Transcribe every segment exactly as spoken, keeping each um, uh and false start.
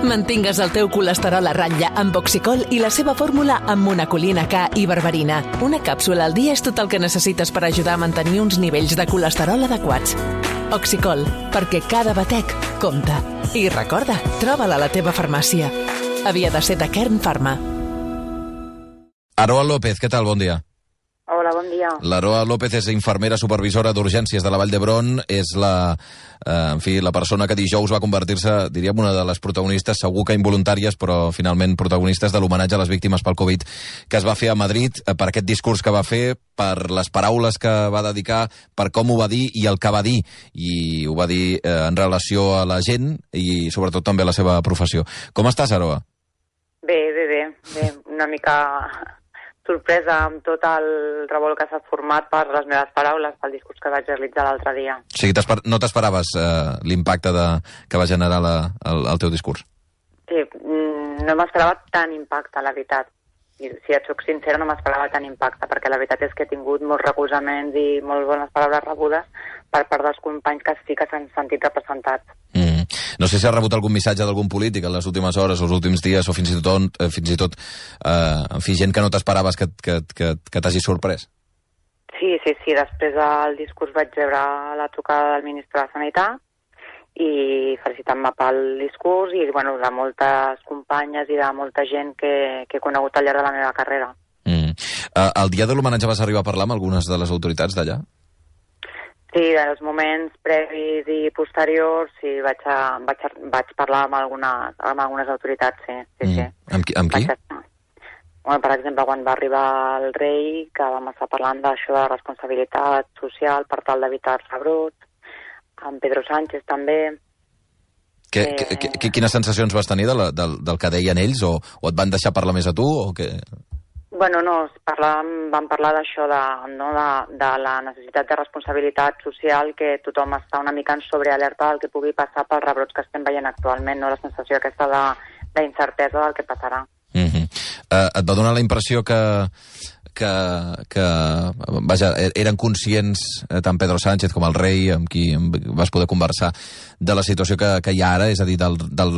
Mantingues el teu colesterol a ratlla amb Oxicol i la seva fórmula amb monacolina K i berberina. Una càpsula al dia és tot el que necessites per ajudar a mantenir uns nivells de colesterol adequats. Oxicol, perquè cada batec compta. I recorda, troba-la a la teva farmàcia. Havia de ser de Kern Pharma. Aroa López, què tal? Bon dia. Hola, bon dia. L'Aroa López és infermera supervisora d'urgències de la Vall d'Hebron. És la, eh, en fi, la persona que dijous va convertir-se, diríem, una de les protagonistes, segur que involuntàries, però finalment protagonistes de l'homenatge a les víctimes pel Covid que es va fer a Madrid, eh, per aquest discurs que va fer, per les paraules que va dedicar, per com ho va dir i el que va dir. I ho va dir eh, en relació a la gent i sobretot també a la seva professió. Com estàs, Aroa? Bé, bé, bé. bé. Una mica sorpresa amb tot el revolt que s'ha format per les meves paraules, pel discurs que vaig realitzar l'altre dia. O sigui, no t'esperaves eh, l'impacte de, que va generar la, el, el teu discurs? Sí, no m'esperava tant impacte, la veritat. I si et soc sincera, no m'esperava tant impacte, perquè la veritat és que he tingut molts recolzaments i molt bones paraules rebudes per part dels companys que sí que s'han sentit representats. Mm. No sé si has rebut algun missatge d'algun polític en les últimes hores, els últims dies, o fins i tot, eh, fins i tot eh, en fi, gent que no t'esperaves que, que, que, que t'hagi sorprès. Sí, sí, sí. Després del discurs vaig rebre la trucada del ministre de Sanitat i felicitant-me pel discurs i, bueno, de moltes companyes i de molta gent que, que he conegut al llarg de la meva carrera. Mm. Uh, el dia de l'homenatge vas arribar a parlar amb algunes de les autoritats d'allà? Sí, dels moments previs i posteriors, sí, vaig, a, vaig, a, vaig parlar amb algunes, amb algunes autoritats, sí. sí, mm. sí. Amb qui? Amb qui? Bueno, per exemple, quan va arribar el rei, que vam estar parlant d'això de la responsabilitat social per tal d'evitar els rebrots, amb Pedro Sánchez també. Que, eh... que, que, quines sensacions vas tenir de la, del, del que deien ells, o, o et van deixar parlar més a tu, o què? Bueno, no, parlàvem, vam parlar d'això, de, no, de, de la necessitat de responsabilitat social, que tothom està una mica en sobrealerta del que pugui passar pels rebrots que estem veient actualment, no? La sensació aquesta d'incertesa de, del que passarà. Mm-hmm. uh, et va donar la impressió que, que, que vaja, eren conscients eh, tant Pedro Sánchez com el rei, amb qui vas poder conversar, de la situació que, que hi ha ara, és a dir, del, del,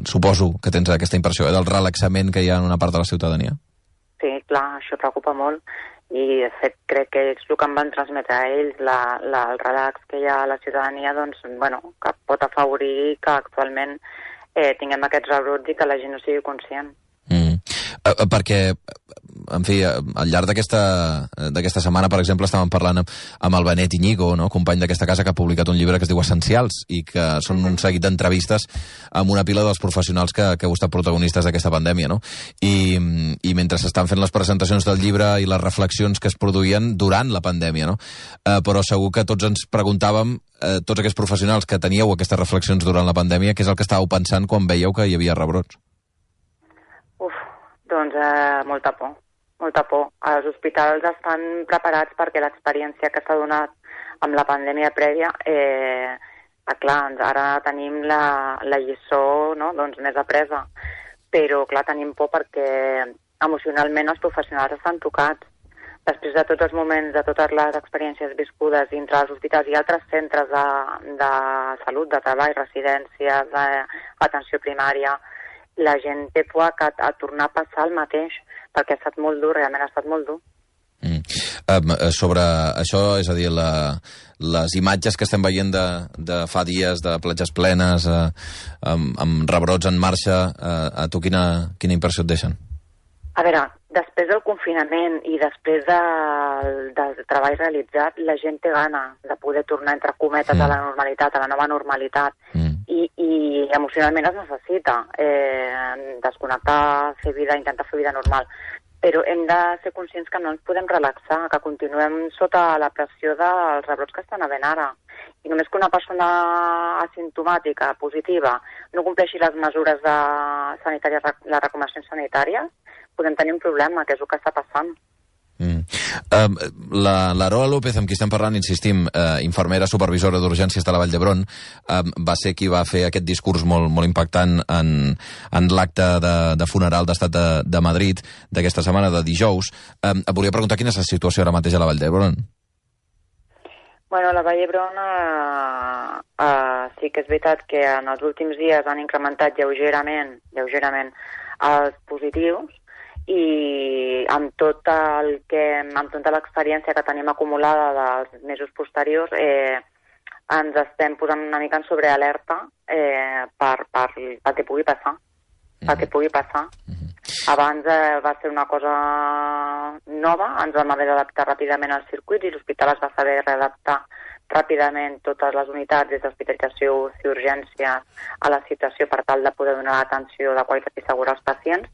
suposo que tens aquesta impressió, eh, del relaxament que hi ha en una part de la ciutadania? Sí, clar, això preocupa molt i, de fet, crec que és el que em van transmetre a ells, la, la, el relax que hi ha a la ciutadania, doncs, bueno, que pot afavorir que actualment eh, tinguem aquests rebrots i que la gent no sigui conscient. Mm. Uh, perquè, en fi, al llarg d'aquesta setmana, per exemple, estàvem parlant amb, amb el Benet Iñigo, no? Company d'aquesta casa, que ha publicat un llibre que es diu Essencials i que són un seguit d'entrevistes amb una pila dels professionals que, que heu estat protagonistes d'aquesta pandèmia, no? I, i mentre s'estan fent les presentacions del llibre i les reflexions que es produïen durant la pandèmia, no? Uh, però segur que tots ens preguntàvem, uh, tots aquests professionals que teníeu aquestes reflexions durant la pandèmia, què és el que estàveu pensant quan veieu que hi havia rebrots? Uf, doncs eh, molta por, molta por. Els hospitals estan preparats perquè l'experiència que s'ha donat amb la pandèmia prèvia, eh, ah, clar, ara tenim la, la lliçó, no?, doncs, més apresa, però clar, tenim por perquè emocionalment els professionals estan tocats. Després de tots els moments, de totes les experiències viscudes dintre dels hospitals i altres centres de, de salut, de treball, residències, d'atenció primària, la gent té por a, a tornar a passar el mateix, perquè ha estat molt dur, realment ha estat molt dur. Mm. Um, sobre això, és a dir, la, les imatges que estem veient de, de fa dies, de platges plenes, uh, amb, amb rebrots en marxa, uh, a tu quina, quina impressió et deixen? A veure, després del confinament i després del, del treball realitzat, la gent té gana de poder tornar, entre cometes, mm. a la normalitat, a la nova normalitat. Mm. I, i emocionalment es necessita eh, desconnectar, fer vida, intentar fer vida normal. Però hem de ser conscients que no ens podem relaxar, que continuem sota la pressió dels rebrots que estan havent ara. I només que una persona asimptomàtica, positiva, no compleixi les mesures de sanitàries, les recomanacions sanitàries, podem tenir un problema, que és el que està passant. Mm. Uh, la l'Aroa López, amb qui estem parlant, insistim, uh, infermera supervisora d'urgències de la Vall d'Hebron, uh, va ser qui va fer aquest discurs molt, molt impactant en, en l'acte de, de funeral d'Estat de, de Madrid d'aquesta setmana, de dijous. Uh, et volia preguntar quina és la situació ara mateix a la Vall d'Hebron. Bueno, la Vall d'Hebron uh, uh, sí que és veritat que en els últims dies han incrementat lleugerament, lleugerament els positius, i amb tot el que, amb tota l'experiència que tenim acumulada dels mesos posteriors, eh, ens estem posant una mica en sobrealerta eh, per, per, per què pugui passar. Mm-hmm. Per què pugui passar. Mm-hmm. Abans eh, va ser una cosa nova, ens vam haver d'adaptar ràpidament als circuits i l'hospital es va saber readaptar ràpidament totes les unitats des d'hospitalització i urgències a la situació per tal de poder donar l'atenció de qualitat i segura als pacients,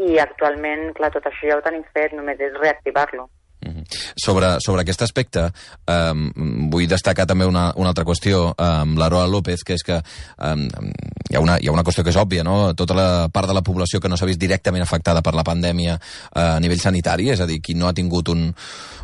i actualment, clar, tot això ja ho tenim fet, només és reactivar-lo. Mm-hmm. Sobre, sobre aquest aspecte, eh, vull destacar també una, una altra qüestió amb eh, l'Aroa López, que és que eh, hi, ha una, hi ha una qüestió que és òbvia, no? Tota la part de la població que no s'ha vist directament afectada per la pandèmia eh, a nivell sanitari, és a dir, qui no ha tingut un,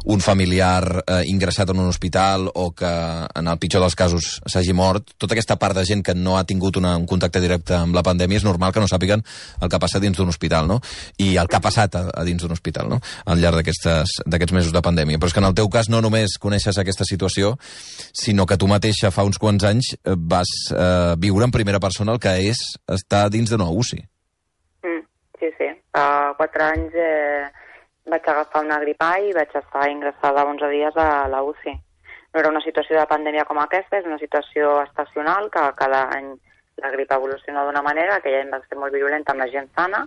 un familiar eh, ingressat en un hospital o que en el pitjor dels casos s'hagi mort, tota aquesta part de gent que no ha tingut una, un contacte directe amb la pandèmia, és normal que no sàpiguen el que passa dins d'un hospital, no? I el que ha passat a, a dins d'un hospital, no? Al llarg d'aquests mesos de pandèmia. Però és que en el teu cas no només coneixes aquesta situació, sinó que tu mateixa fa uns quants anys vas eh, viure en primera persona el que és estar dins d'una U C I. Mm, sí, sí. Fa quatre anys eh, vaig agafar una gripa i vaig estar ingressada onze dies a la U C I. No era una situació de pandèmia com aquesta, és una situació estacional, que cada any la gripa evoluciona d'una manera, aquell any va ser molt virulenta amb la gent sana,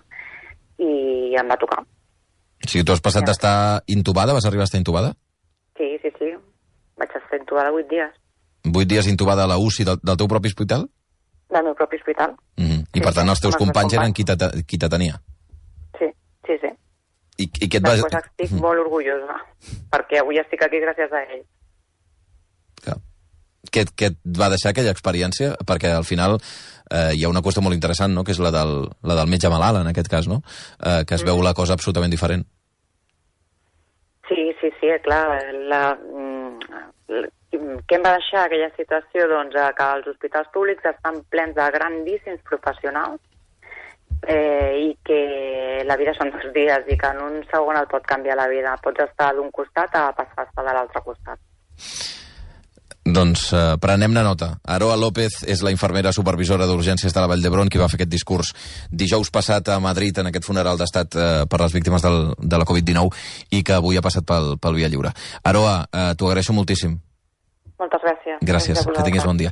i em va tocar. O sigui, tu has passat d'estar intubada? Vas arribar a estar intubada? Sí, sí, sí. Vaig estar intubada vuit dies. Vuit dies intubada a la U C I del, del teu propi hospital? Del meu propi hospital. Mm-hmm. I sí, per tant els teus companys eren qui te, qui te tenia? Sí, sí, sí. I, i què et vas... Després estic mm-hmm. molt orgullosa, perquè avui estic aquí gràcies a ell. Clar. Què, què et va deixar aquella experiència? Perquè al final eh, hi ha una qüestió molt interessant, no?, que és la del, la del metge malalt, en aquest cas, no?, eh, que es veu la cosa absolutament diferent. Sí, sí, sí, clar. La, la, què em va deixar aquella situació? Doncs que els hospitals públics estan plens de grandíssims professionals eh, i que la vida són dos dies i que en un segon et pot canviar la vida. Pots estar d'un costat a passar a estar de l'altre costat. Doncs eh, prenem-ne nota. Aroa López és la infermera supervisora d'urgències de la Vall d'Hebron qui va fer aquest discurs dijous passat a Madrid en aquest funeral d'estat eh, per les víctimes del, de la covid dinou i que avui ha passat pel, pel Via Lliure. Aroa, eh, t'ho agraeixo moltíssim. Moltes gràcies. Gràcies, que tinguis bon dia.